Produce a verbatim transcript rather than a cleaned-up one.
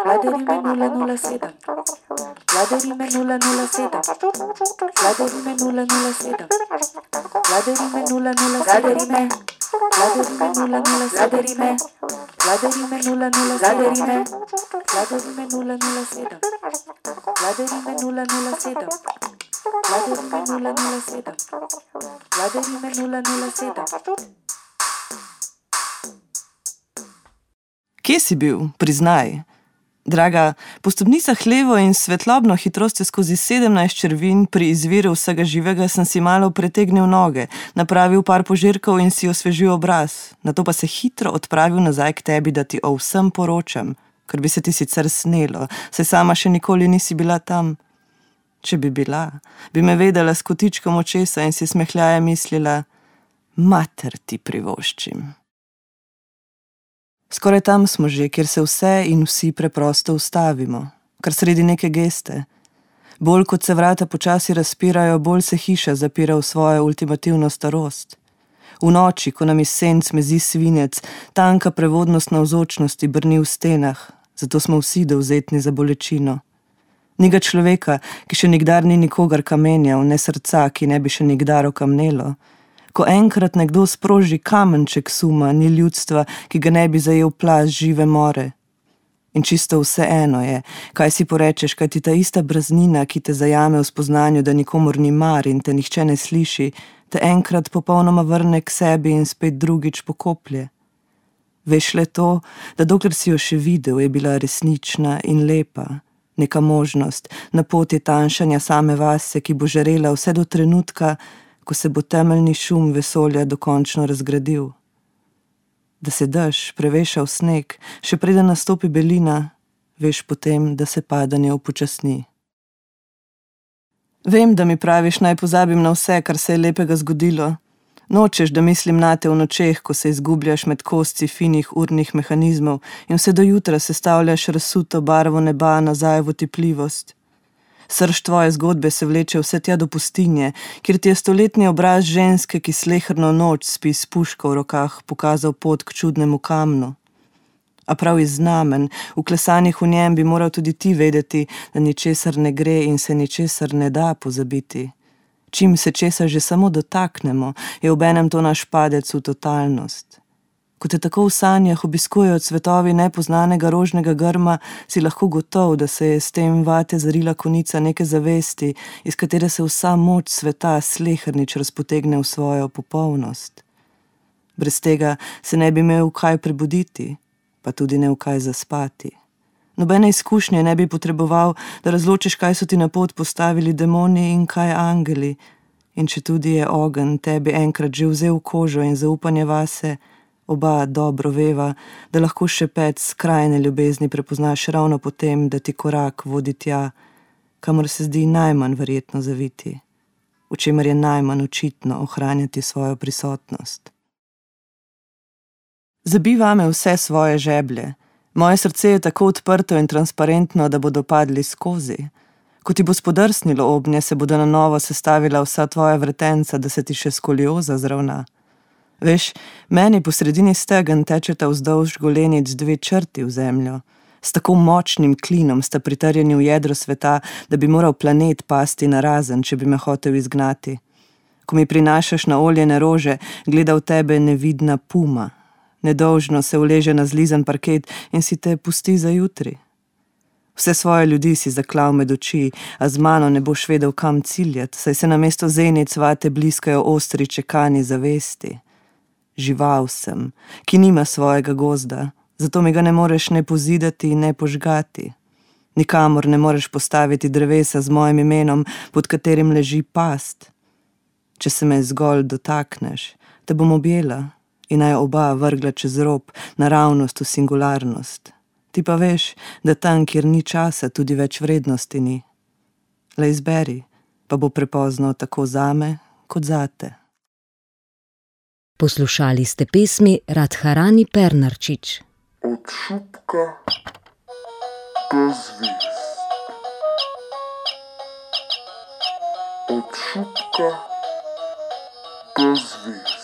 Vladarime nula nula sedem. Vladarime nula nula sedem. Vladarime nula nula sedem. Vladarime nula nula Vladarime. Vladarime nula nula Vladarime. Vladarime nula nula Vladarime. Vladarime nula nula sedem. Vladarime nula nula sedem. Vladarime nula nula sedem. Vladarime nula nula sedem. Kje si bil? Priznaj. Draga, po stopnicah levo in svetlobno hitrostjo skozi sedemnajst črvin pri izviru vsega živega sem si malo pretegnil noge, napravil par požirkov in si osvežil obraz. Nato pa se hitro odpravil nazaj k tebi, da ti o vsem poročam, ker bi se ti sicer snelo, saj sama še nikoli nisi bila tam. Če bi bila, bi me vedela s kotičkom očesa in si smehljaje mislila, mater ti privoščim. Skoraj tam smo že, kjer se vse in vsi preprosto ustavimo, kar sredi neke geste. Bolj kot se vrata počasi razpirajo, bolj se hiša zapira v svojo ultimativno starost. V noči, ko nam iz senc mezi svinec, tanka prevodnost navzočnosti brni v stenah, zato smo vsi dovzetni za bolečino. Ni ga človeka, ki še nikdar ni nikogar kamenjal, ne srca, ki ne bi še nikdar okamnelo. Ko enkrat nekdo sproži kamenček suma, ni ljudstva, ki ga ne bi zajel plaz žive more. In čisto vse eno je, kaj si porečeš, kaj ti ta ista braznina, ki te zajame v spoznanju, da nikomor ni mar in te nihče ne sliši, te enkrat popolnoma vrne k sebi in spet drugič pokoplje. Veš le to, da dokler si jo še videl, je bila resnična in lepa. Neka možnost, na poti tanjšanja same vase, ki bo žarela vse do trenutka, ko se bo temeljni šum vesolja dokončno razgradil. Da se dež preveša v sneg, še preden nastopi belina, veš potem, da se padanje upočasni. Vem, da mi praviš, naj pozabim na vse, kar se je lepega zgodilo. Nočeš, da mislim nate v nočeh, ko se izgubljaš med kosci finih urnih mehanizmov in vse do jutra sestavljaš razsuto barvo neba nazaj v otipljivost. Srž tvoje zgodbe se vleče vse tja do pustinje, kjer ti je stoletni obraz ženske, ki sleherno noč spi s puško v rokah, pokazal pot k čudnemu kamnu. A prav iz znamen, vklesanih v njem, bi moral tudi ti vedeti, da ničesar ne gre in se ničesar ne da pozabiti. Čim se česa že samo dotaknemo, je obenem to naš padec v totalnost. Ko te tako v sanjah obiskujejo cvetovi nepoznanega rožnega grma, si lahko gotov, da se je s tem vate zarila konica neke zavesti, iz katere se vsa moč sveta slehernič razpotegne v svojo popolnost. Brez tega se ne bi imel kaj prebuditi, pa tudi ne v kaj zaspati. Nobene izkušnje ne bi potreboval, da razločiš, kaj so ti na pot postavili demoni in kaj angeli. In če tudi je ogenj tebi enkrat že vzel kožo in zaupanje vase, oba dobro veva, da lahko šepet skrajne ljubezni prepoznaš ravno potem, da ti korak vodi tja, kamor se zdi najmanj verjetno zaviti, v čemer je najmanj očitno ohranjati svojo prisotnost. Zabij vame vse svoje žeblje. Moje srce je tako odprto in transparentno, da bodo padli skozi. Ko ti bo spodrsnilo obnje, se bodo na novo sestavila vsa tvoja vretenca, da se ti še skolioza zravna. Veš, meni po sredini stegen tečeta vzdolž golenic dve črti v zemljo. S tako močnim klinom sta pritrjeni v jedro sveta, da bi moral planet pasti narazen, če bi me hotel izgnati. Ko mi prinašaš na oljene rože, gleda v tebe nevidna puma. Nedolžno se uleže na zlizan parket in si te pusti za jutri. Vse svoje ljudi si zaklal med oči, a z mano ne boš vedel, kam ciljati, saj se namesto zenic vate bliskajo ostri čekani zavesti. Žival sem, ki nima svojega gozda, zato mi ga ne moreš ne pozidati, ne požgati. Nikamor ne moreš postaviti drevesa z mojim imenom, pod katerim leži past. Če se me zgolj dotakneš, te bom objela in naj oba vrgla čez rob, naravnost v singularnost. Ti pa veš, da tam, kjer ni časa, tudi več vrednosti ni. Le izberi, pa bo prepozno tako zame, kot zate. Poslušali ste pesmi Radharani Pernarčič. Od šupka do zvezd. Od šupka do zvezd.